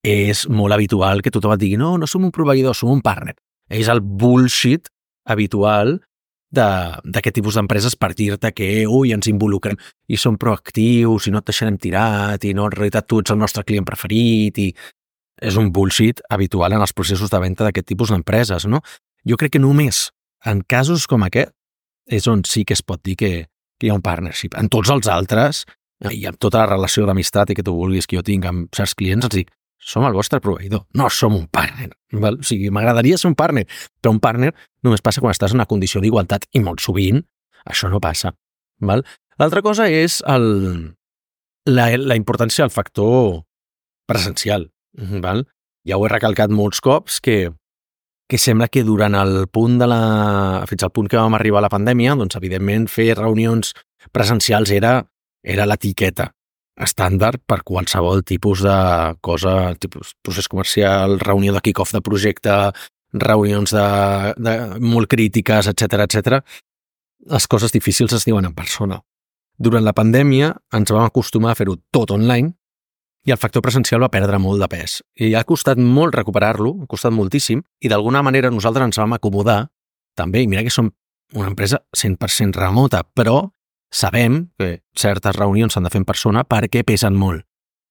És molt habitual que tothom et digui no, no som un proveïdor, som un partner. És el bullshit habitual d'aquest tipus d'empreses per dir-te que ui, ens involucrem i som proactius i no et deixarem tirat i no, en realitat tu ets el nostre client preferit i és un bullshit habitual en els processos de venda d'aquest tipus d'empreses, no? Jo crec que només en casos com aquest és on sí que es pot dir que, que hi ha un partnership. En tots els altres i amb tota la relació d'amistat i que tu vulguis que jo tinc amb certs clients, els dic som el vostre proveïdor, no som un partner. Val? O sigui, m'agradaria ser un partner, però un partner només passa quan estàs en una condició d'igualtat i molt sovint això no passa. L'altra cosa és el, la, la importància del factor presencial. Val? Ja ho he recalcat molts cops que, que sembla que durant el punt de la... fins al punt que vam arribar a la pandèmia, doncs evidentment fer reunions presencials era, era l'etiqueta estàndard per qualsevol tipus de cosa, tipus procés comercial, reunió de kick-off de projecte, reunions de, de molt crítiques, etcètera, etcètera. Les coses difícils es diuen en persona. Durant la pandèmia ens vam acostumar a fer-ho tot online i el factor presencial va perdre molt de pes. I ha costat molt recuperar-lo, ha costat moltíssim, i d'alguna manera nosaltres ens vam acomodar també, i mira que som una empresa cent per cent remota, però sabem que certes reunions s'han de fer en persona perquè pesen molt.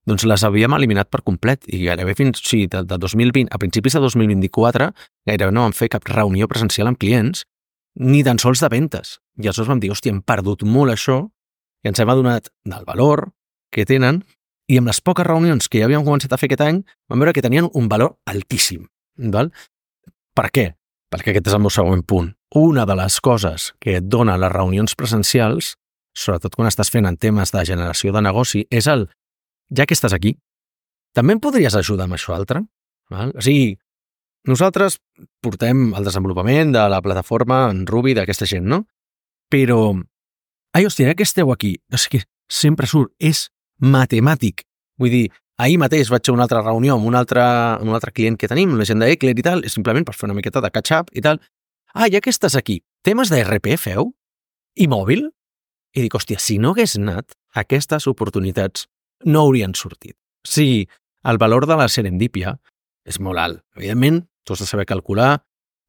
Doncs les havíem eliminat per complet i gairebé fins sí, de, de dos mil vint, a principis de dos mil vint-i-quatre gairebé no vam fer cap reunió presencial amb clients ni tan sols de ventes. I aleshores vam dir, hòstia, hem perdut molt això i ens hem adonat del valor que tenen i amb les poques reunions que ja havíem començat a fer aquest any vam veure que tenien un valor altíssim. Val? Per què? Perquè aquest és el meu següent punt. Una de les coses que et dona les reunions presencials, sobretot quan estàs fent en temes de generació de negoci, és el, ja que estàs aquí, també em podries ajudar amb això altre? Val? O sigui, nosaltres portem el desenvolupament de la plataforma en Ruby d'aquesta gent, no? Però, ai, hòstia, ja que esteu aquí, o sigui, sempre surt, és matemàtic. Vull dir, ahir mateix vaig a una altra reunió amb un altre, amb un altre client que tenim, la gent d'Eclair i tal, és simplement per fer una miqueta de catch-up i tal. Ah, ja que estàs aquí, temes d'E R P feu? I mòbil? I dic, hòstia, si no hagués anat, aquestes oportunitats no haurien sortit. Sí, el valor de la serendípia és molt alt. Evidentment, tu has de saber calcular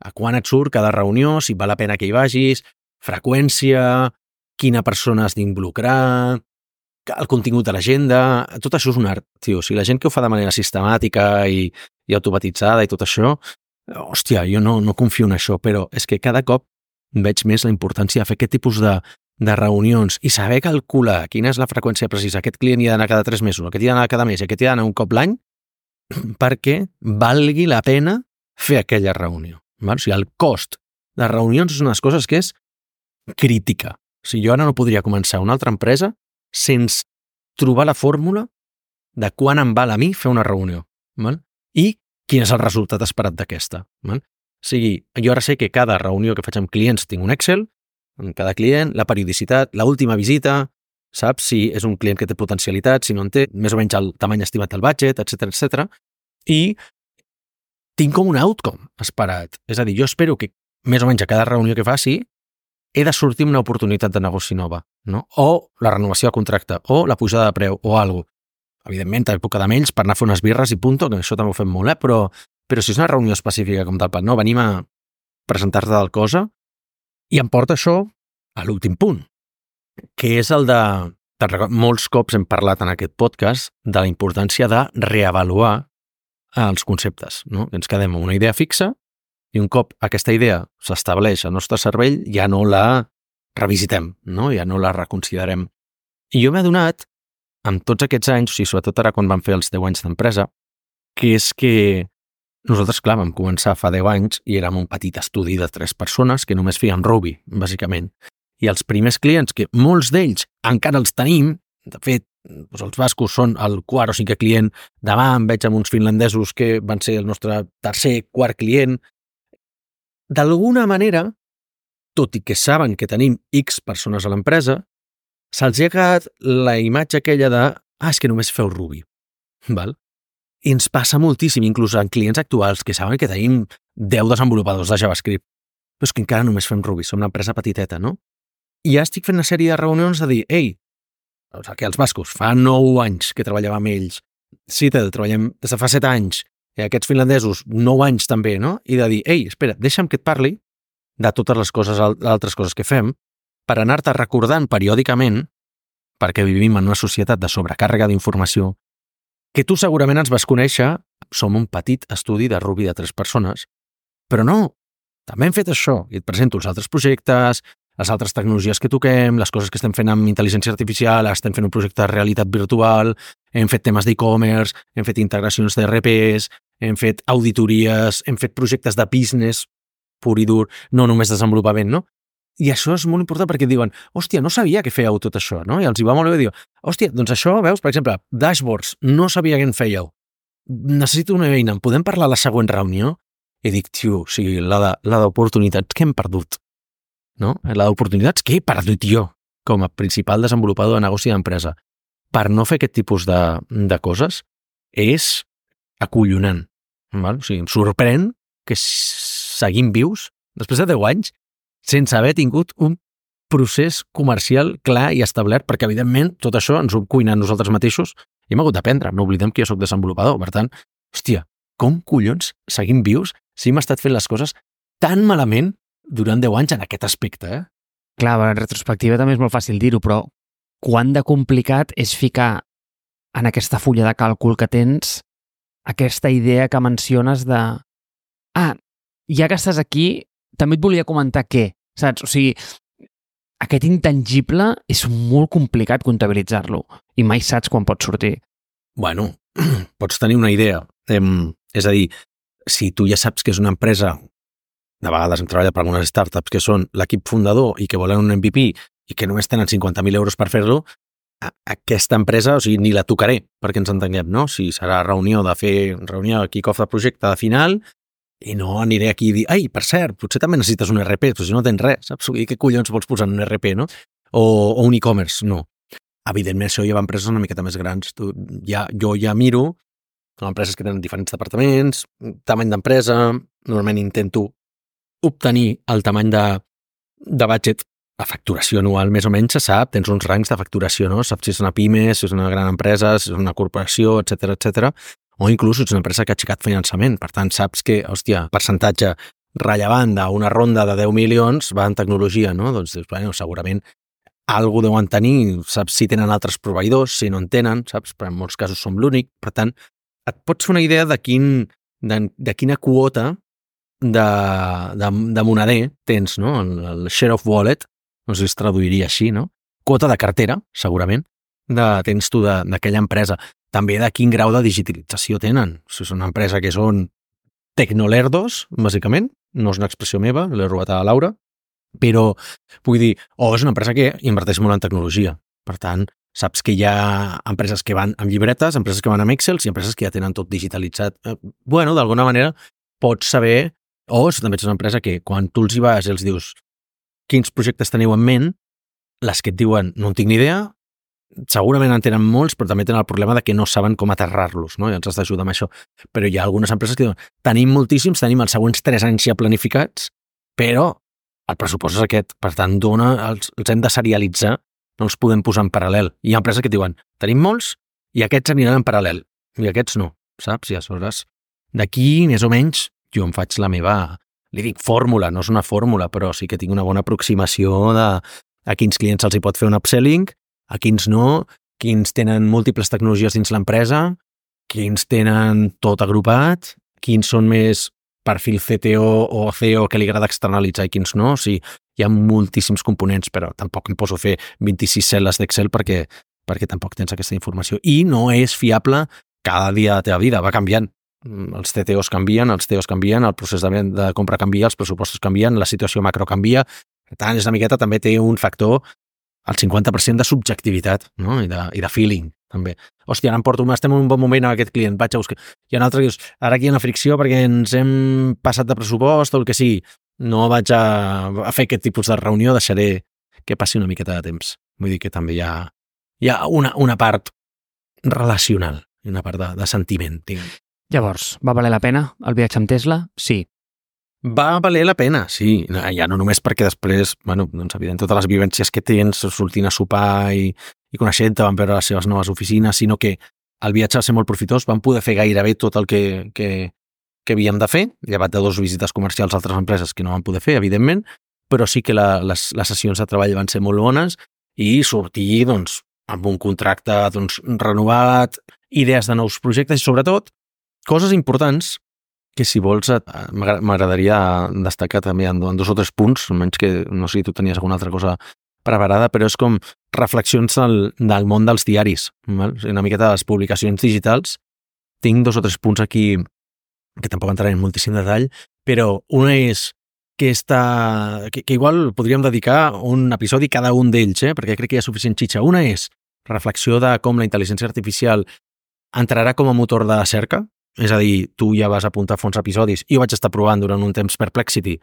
a quan et surt cada reunió, si val la pena que hi vagis, freqüència, quina persona has d'involucrar, el contingut de l'agenda, tot això és un art, tio. O sigui, la gent que ho fa de manera sistemàtica i, i automatitzada i tot això, hòstia, jo no, no confio en això, però és que cada cop veig més la importància de fer aquest tipus de, de reunions i saber calcular quina és la freqüència precisa. Aquest client hi ha d'anar cada tres mesos, aquest hi ha d'anar cada mes, aquest hi ha d'anar un cop l'any, perquè valgui la pena fer aquella reunió. Val? O sigui, el cost de reunions és una de les coses que és crítica. O sigui, jo ara no podria començar una altra empresa sense trobar la fórmula de quan em val a mi fer una reunió. Val? I quin és el resultat esperat d'aquesta. Val? O sigui, jo ara sé que cada reunió que faig amb clients tinc un Excel, amb cada client, la periodicitat, l'última visita, saps si és un client que té potencialitat, si no en té, més o menys el tamany estimat del budget, etcètera, etcètera. I tinc com un outcome esperat. És a dir, jo espero que més o menys a cada reunió que faci he de sortir amb una oportunitat de negoci nova, no? O la renovació de contracte, o la pujada de preu, o alguna cosa. Evidentment, també puc quedar amb ells per anar a fer unes birres i punto, que això també ho fem molt, eh? però, però si és una reunió específica com tal, no, venim a presentar-te del cosa i em porta això a l'últim punt, que és el de, de... Molts cops hem parlat en aquest podcast de la importància de reavaluar els conceptes, no? Ens quedem amb una idea fixa i un cop aquesta idea s'estableix al nostre cervell ja no la revisitem, no? Ja no la reconsiderem. I jo m'he adonat, amb tots aquests anys, o sigui, sobretot ara quan vam fer els deu anys d'empresa, que és que nosaltres, clar, vam començar fa deu anys i érem un petit estudi de tres persones que només feien Ruby, bàsicament. I els primers clients, que molts d'ells encara els tenim, de fet, doncs els bascos són el quart o cinquè client, demà em veig amb uns finlandesos que van ser el nostre tercer, quart client. D'alguna manera, tot i que saben que tenim X persones a l'empresa, se'ls ha quedat la imatge aquella de ah, és que només feu Ruby. Val? I ens passa moltíssim, inclús en clients actuals que saben que tenim deu desenvolupadors de JavaScript, però és que encara només fem Ruby, som una empresa petiteta, no? I ja estic fent una sèrie de reunions de dir, ei, o sigui, que els bascos, fa nou anys que treballava amb ells, Citel, treballem des de fa set anys, i aquests finlandesos, nou anys també, no? I de dir, ei, espera, deixa'm que et parli de totes les coses, altres coses que fem, per anar-te recordant periòdicament, perquè vivim en una societat de sobrecàrrega d'informació, que tu segurament ens vas conèixer, som un petit estudi de Ruby de tres persones, però no, també hem fet això, i et presento els altres projectes, les altres tecnologies que toquem, les coses que estem fent amb intel·ligència artificial, estem fent un projecte de realitat virtual, hem fet temes d'e-commerce, hem fet integracions d'E R Ps, hem fet auditories, hem fet projectes de business pur i dur, no només desenvolupament, no? I això és molt important perquè diuen, hòstia, no sabia que fèieu tot això, no? I els hi va molt bé dir, hòstia, doncs això, veus, per exemple, dashboards, no sabia què en fèieu. Necessito una eina, en podem parlar a la següent reunió? I dic, tio, o sigui, la d'oportunitats que hem perdut, no? La d'oportunitats que he perdut jo com a principal desenvolupador de negoci d'empresa per no fer aquest tipus de, de coses és acollonant. Val? O sigui, em sorprèn que seguim vius després de deu anys sense haver tingut un procés comercial clar i establert, perquè, evidentment, tot això ens ho hem cuinat nosaltres mateixos i hem hagut d'aprendre. No oblidem que jo soc desenvolupador. Per tant, hòstia, com collons seguim vius si hem estat fent les coses tan malament durant deu anys en aquest aspecte, eh? Clar, en retrospectiva també és molt fàcil dir-ho, però quant de complicat és ficar en aquesta fulla de càlcul que tens aquesta idea que menciones de ah, ja que estàs aquí, també et volia comentar què, saps? O sigui, aquest intangible és molt complicat comptabilitzar-lo i mai saps quan pot sortir. Bueno, pots tenir una idea. Em, és a dir, si tu ja saps que és una empresa, de vegades hem treballat per algunes startups que són l'equip fundador i que volen un M V P i que només tenen cinquanta mil euros per fer-lo, aquesta empresa, o sigui, ni la tocaré perquè ens entenguem, no? Si serà reunió de fer reunió de kick-off de projecte de final i no aniré aquí a dir, ai, per cert, potser també necessites un E R P, però si no tens res, saps? I què collons vols posar en un E R P, no? O, o un e-commerce, no. Evidentment, això ja va a empreses una miqueta més grans. Tu, ja, jo ja miro, són empreses que tenen diferents departaments, tamany d'empresa, normalment intento obtenir el tamany de, de budget, la facturació anual més o menys se sap, tens uns rangs de facturació, no? Saps si és una pime, si és una gran empresa, si és una corporació, etcètera, etcètera, o inclús ets una empresa que ha aixecat finançament. Per tant, saps que, hòstia, percentatge rellevant d'una ronda de deu milions va en tecnologia, no? Doncs, bueno, segurament algú deuen tenir, saps si tenen altres proveïdors, si no en tenen, saps? Però en molts casos som l'únic. Per tant, et pots fer una idea de, quin, de, de quina quota de, de, de moneder tens, no? El, el share of wallet, no sé si es traduiria així, no? Quota de cartera, segurament, de, tens tu d'aquella empresa. També de quin grau de digitalització tenen. Si és una empresa que són tecnolerdos, bàsicament, no és una expressió meva, l'he robat a Laura, però vull dir, o és una empresa que inverteix molt en tecnologia. Per tant, saps que hi ha empreses que van amb llibretes, empreses que van amb Excel i empreses que ja tenen tot digitalitzat. Bueno, d'alguna manera pots saber, o si també ets una empresa que quan tu els hi vas i els dius quins projectes teniu en ment, les que et diuen no en tinc ni idea, segurament en tenen molts, però també tenen el problema de que no saben com aterrar-los, no? I ens has d'ajudar amb això. Però hi ha algunes empreses que diuen, tenim moltíssims, tenim els següents tres anys ja planificats, però el pressupost és aquest. Per tant, dona, els, els hem de serialitzar, no els podem posar en paral·lel. Hi ha empreses que diuen, tenim molts i aquests aniran en paral·lel, i aquests no, saps? I aleshores, d'aquí, més o menys, jo em faig la meva, li dic fórmula, no és una fórmula, però sí que tinc una bona aproximació de a quins clients se'ls hi pot fer un upselling, a quins no, quins tenen múltiples tecnologies dins l'empresa, quins tenen tot agrupat, quins són més perfil C T O o C E O que li agrada externalitzar i quins no. O sigui, hi ha moltíssims components, però tampoc em poso a fer vint-i-sis cel·les d'Excel perquè, perquè tampoc tens aquesta informació. I no és fiable cada dia de la teva vida, va canviant. Els C T Os canvien, els C E Os canvien, el procés de, de compra canvia, els pressupostos canvien, la situació macro canvia. Per tant, és una miqueta, també té un factor el cinquanta per cent de subjectivitat, no? I, de, i de feeling, també. Hòstia, ara em porto, estem en un bon moment amb aquest client, vaig a buscar. I en altre dius, ara aquí hi ha una fricció perquè ens hem passat de pressupost o el que sigui. no vaig a, a fer aquest tipus de reunió, deixaré que passi una miqueta de temps. Vull dir que també hi ha, hi ha una, una part relacional i una part de, de sentiment, diguem. Llavors, va valer la pena el viatge amb Tesla? Sí. Va valer la pena, sí. Ja no només perquè després, bueno, doncs evident, totes les vivències que tens, sortint a sopar i, i coneixent-te, van veure les seves noves oficines, sinó que el viatge va ser molt profitós, vam poder fer gairebé tot el que, que, que havíem de fer, llevat de dos visites comercials a altres empreses que no van poder fer, evidentment, però sí que la, les, les sessions de treball van ser molt bones i sortir, doncs, amb un contracte doncs, renovat, idees de nous projectes i, sobretot, coses importants que, si vols, m'agradaria destacar també en dos o tres punts, almenys que no sé si tu tenies alguna altra cosa preparada, però és com reflexions del, del món dels diaris, val? Una miqueta de les publicacions digitals. Tinc dos o tres punts aquí que tampoc entraré en moltíssim detall, però una és que, està, que, que igual podríem dedicar un episodi cada un d'ells, eh? Perquè crec que hi ha suficient xitxa. Una és reflexió de com la intel·ligència artificial entrarà com a motor de cerca, és a dir, tu ja vas apuntar fons episodis, i jo vaig estar provant durant un temps Perplexity,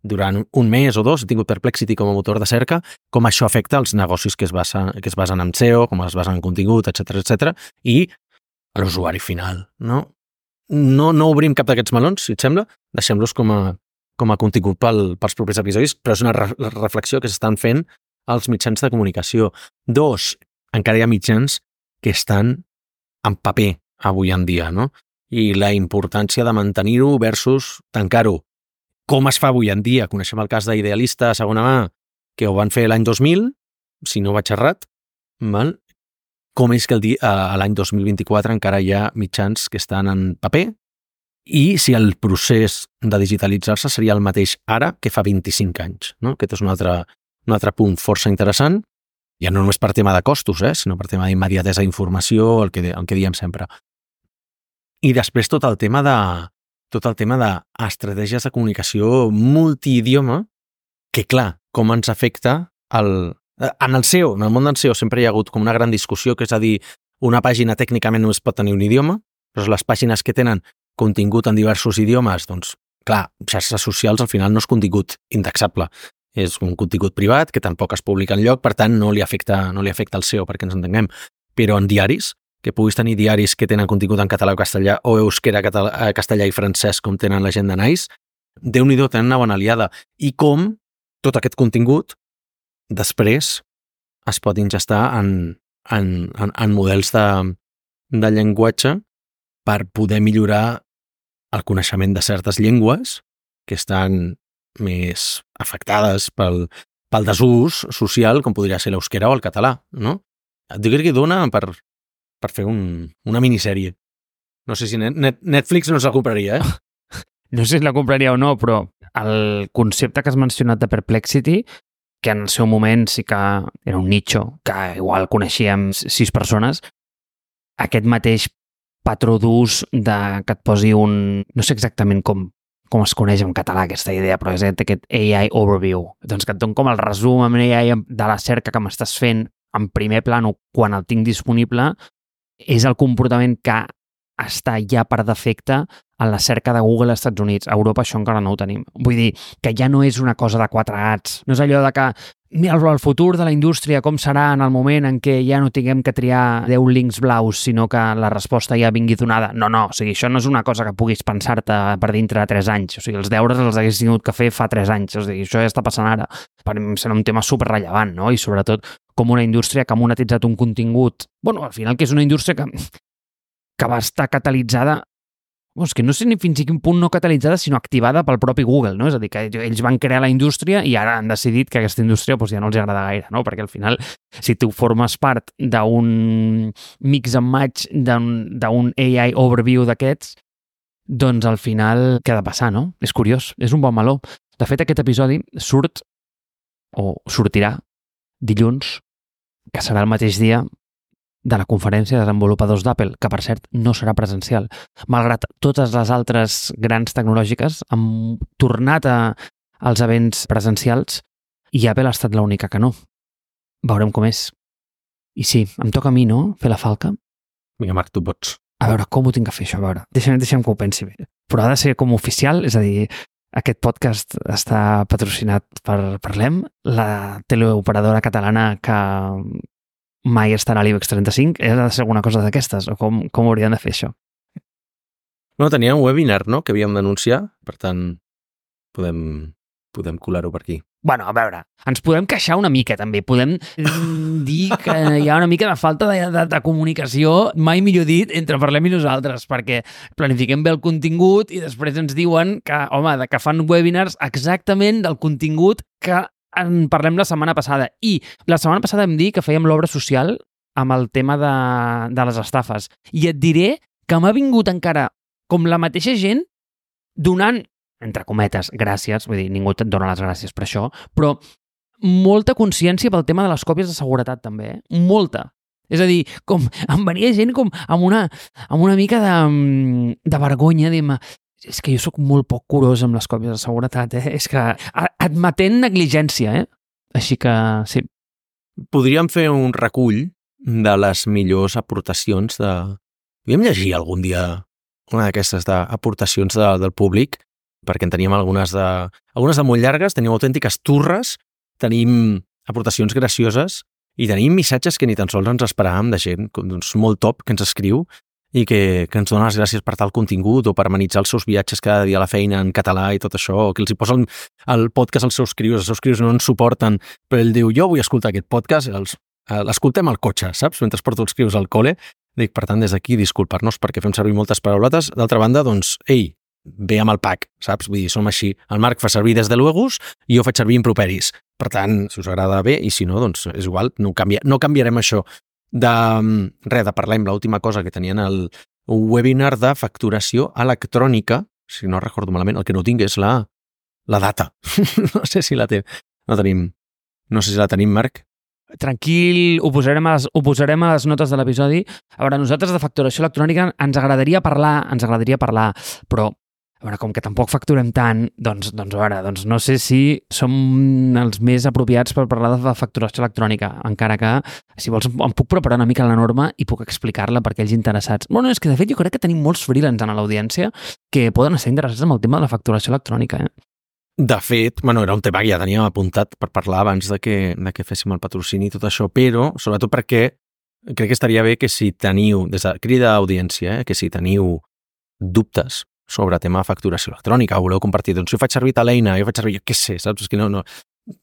durant un mes o dos, he tingut Perplexity com a motor de cerca, com això afecta els negocis que es basen, que es basen en S E O, com es basen en contingut, etcètera, etcètera, i a l'usuari final, no? No, no obrim cap d'aquests melons, si et sembla, deixem-los com a, com a contingut pel, pels propers episodis, però és una re reflexió que s'estan fent als mitjans de comunicació. Dos, encara hi ha mitjans que estan en paper avui en dia, no? I la importància de mantenir-ho versus tancar-ho. Com es fa avui en dia? Coneixem el cas d'Idealista a segona mà, que ho van fer l'any dos mil, si no vaig errat, val? Com és que el dia, a l'any dos mil vint-i-quatre encara hi ha mitjans que estan en paper, i si el procés de digitalitzar-se seria el mateix ara que fa vint-i-cinc anys, no? Aquest és un altre, un altre punt força interessant, ja no només per tema de costos, eh? Sinó per tema d'immediatesa d'informació, el que, el que diem sempre. I després tot el tema de tot el tema d'estratègies de comunicació multiidioma, que clar, com ens afecta el, en el S E O, en el món del S E O sempre hi ha hagut com una gran discussió, que és a dir, una pàgina tècnicament només pot tenir un idioma, però les pàgines que tenen contingut en diversos idiomes, doncs, clar, xarxes socials al final no és contingut indexable, és un contingut privat que tampoc es publica enlloc, per tant no li afecta, no li afecta el S E O, perquè ens entenguem. Però en diaris, que puguis tenir diaris que tenen contingut en català o castellà, o euskera, català, castellà i francès, com tenen la gent de Nice, Déu-n'hi-do, tenen una bona aliada. I com tot aquest contingut després es pot ingestar en, en, en, en models de, de llenguatge per poder millorar el coneixement de certes llengües que estan més afectades pel, pel desús social, com podria ser l'euskera o el català, no? Jo crec que dona per, per fer un, una minissèrie. No sé si net, Netflix no se'l compraria, eh? No sé si la compraria o no, però el concepte que has mencionat de Perplexity, que en el seu moment sí que era un nicho, que igual coneixíem sis persones, aquest mateix patró d'ús de que et posi un... No sé exactament com, com es coneix en català aquesta idea, però és aquest A I overview. Doncs que et don com el resum amb A I de la cerca que m'estàs fent en primer plano quan el tinc disponible, és el comportament que està ja per defecte en la cerca de Google als Estats Units. A Europa això encara no ho tenim. Vull dir que ja no és una cosa de quatre gats. No és allò de que mira el futur de la indústria, com serà en el moment en què ja no tinguem que triar deu links blaus, sinó que la resposta ja vingui donada. No, no, o sigui, això no és una cosa que puguis pensar-te per dintre de tres anys. O sigui, els deures els hagués tingut que fer fa tres anys. O sigui, això ja està passant ara. Per mi serà un tema superrellevant, no? I sobretot com una indústria que ha monetitzat un contingut... Bueno, al final que és una indústria que, que va estar catalitzada... És que no sé ni fins a quin punt no catalitzada, sinó activada pel propi Google, no? És a dir, que ells van crear la indústria i ara han decidit que aquesta indústria doncs, ja no els agrada gaire, no? Perquè al final, si tu formes part d'un mix and match d'un A I overview d'aquests, doncs al final què ha de passar, no? És curiós, és un bon meló. De fet, aquest episodi surt, o sortirà, dilluns, que serà el mateix dia de la conferència de desenvolupadors d'Apple, que per cert no serà presencial. Malgrat totes les altres grans tecnològiques han tornat a, als events presencials i Apple ha estat l'única que no. Veurem com és. I sí, em toca a mi, no?, fer la falca. Vinga, Marc, tu pots. A veure, com ho tinc que fer això? A veure, deixa'm, deixa'm que ho pensi bé. Però ha de ser com oficial, és a dir, Aquest podcast està patrocinat per Parlem, la teleoperadora catalana que mai estarà a l'IBEX trenta-cinc. He de ser alguna cosa d'aquestes, o com, com hauríem de fer això? No, tenia un webinar, no?, que havíem d'anunciar, per tant, podem, podem colar-ho per aquí. Bueno, a veure, ens podem queixar una mica, també. Podem dir que hi ha una mica de falta de, de, de comunicació, mai millor dit, entre Parlem i nosaltres, perquè planifiquem bé el contingut i després ens diuen que, home, que fan webinars exactament del contingut que en parlem la setmana passada. I la setmana passada vam dir que fèiem l'obra social amb el tema de, de les estafes. I et diré que m'ha vingut encara com la mateixa gent donant, entre cometes, gràcies, vull dir, ningú et dona les gràcies per això, però molta consciència pel tema de les còpies de seguretat també, eh? Molta. És a dir, com em venia gent com amb una, amb una mica de, de vergonya, dir-me, és que jo sóc molt poc curós amb les còpies de seguretat, eh? És que admetent negligència, eh? Així que, sí. Podríem fer un recull de les millors aportacions de... Podríem llegir algun dia una d'aquestes aportacions de, del públic, perquè en teníem algunes de, algunes de molt llargues, tenim autèntiques turres, tenim aportacions gracioses i tenim missatges que ni tan sols ens esperàvem de gent doncs, molt top que ens escriu i que, que ens dona les gràcies per tal contingut o per amenitzar els seus viatges cada dia a la feina en català i tot això, o que els hi posa el, el podcast als seus crios, els seus crios no ens suporten, però ell diu, jo vull escoltar aquest podcast, els, l'escoltem al cotxe, saps? Mentre porto els crios al col·le. Dic, per tant, des d'aquí, disculpar-nos perquè fem servir moltes parauletes. D'altra banda, doncs, ei, ve amb el pack, saps? Vull dir, som així. El Marc fa servir des de luegos i jo faig servir improperis. Per tant, si us agrada bé, i si no, doncs és igual, no, canvia, no canviarem això. De res, de parlar amb l'última cosa que tenien el un webinar de facturació electrònica, si no recordo malament, el que no tinc és la, la data. No sé si la té. No tenim, no sé si la tenim, Marc. Tranquil, ho posarem, a les, ho posarem a les notes de l'episodi. A veure, nosaltres de facturació electrònica ens agradaria parlar, ens agradaria parlar, però a veure, com que tampoc facturem tant, doncs, doncs a veure, doncs no sé si som els més apropiats per parlar de facturació electrònica, encara que, si vols, em puc preparar una mica la norma i puc explicar-la per aquells interessats. Bueno, és que de fet jo crec que tenim molts freelance a l'audiència que poden estar interessats en el tema de la facturació electrònica, eh? De fet, bueno, era un tema que ja teníem apuntat per parlar abans de que, de que féssim el patrocini i tot això, però sobretot perquè crec que estaria bé que si teniu, des de crida d'audiència, eh, que si teniu dubtes sobre tema de facturació electrònica, o voleu compartir, doncs jo faig servir tal eina, jo faig servir, jo què sé, saps? És que no, no...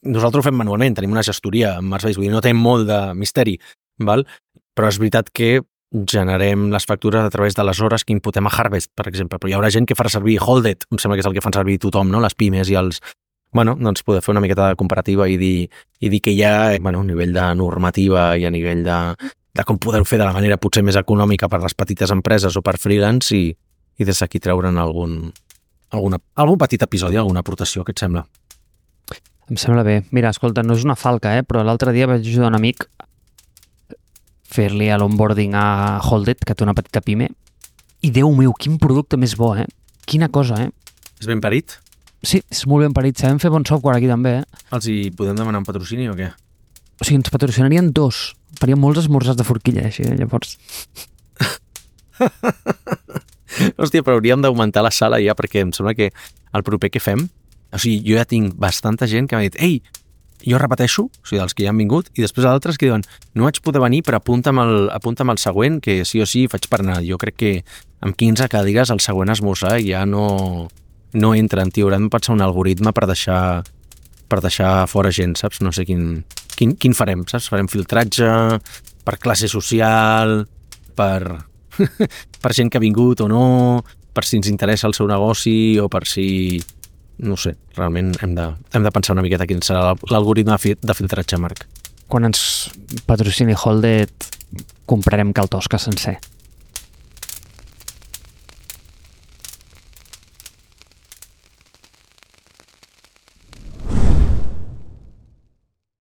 Nosaltres ho fem manualment, tenim una gestoria amb Mars Base, vull dir, no té molt de misteri, val? Però és veritat que generem les factures a través de les hores que imputem a Harvest, per exemple, però hi haurà gent que farà servir Holded, em sembla que és el que fan servir tothom, no? Les pimes i els... Bueno, doncs poder fer una miqueta de comparativa i dir, i dir que hi ha, bueno, a nivell de normativa i a nivell de, de com poder-ho fer de la manera potser més econòmica per les petites empreses o per freelance i, i des d'aquí treure'n algun, alguna, algun petit episodi, alguna aportació, què et sembla? Em sembla bé. Mira, escolta, no és una falca, eh? Però l'altre dia vaig ajudar un amic fer-li a l'onboarding a Holded, que té una petita pime, i Déu meu, quin producte més bo, eh? Quina cosa, eh? És ben parit? Sí, és molt ben parit. Sabem fer bon software aquí també, eh? Els hi podem demanar un patrocini o què? O sigui, ens patrocinarien dos. Faríem molts esmorzars de forquilla, així, llavors. Hòstia, però hauríem d'augmentar la sala ja, perquè em sembla que el proper que fem, o sigui, jo ja tinc bastanta gent que m'ha dit, ei, jo repeteixo, o sigui, dels que ja han vingut, i després altres que diuen, no vaig poder venir, però apunta'm el, apunta'm el següent, que sí o sí faig per anar. Jo crec que amb quinze cadires el següent esmorzar ja no, no entra, tio, haurem de pensar un algoritme per deixar, per deixar fora gent, saps? No sé quin, quin, quin farem, saps? Farem filtratge per classe social, per, per gent que ha vingut o no, per si ens interessa el seu negoci o per si... No sé, realment hem de, hem de pensar una miqueta quin serà l'algoritme de filtratge, Marc. Quan ens patrocini Holded, comprarem cal Tosca sencer.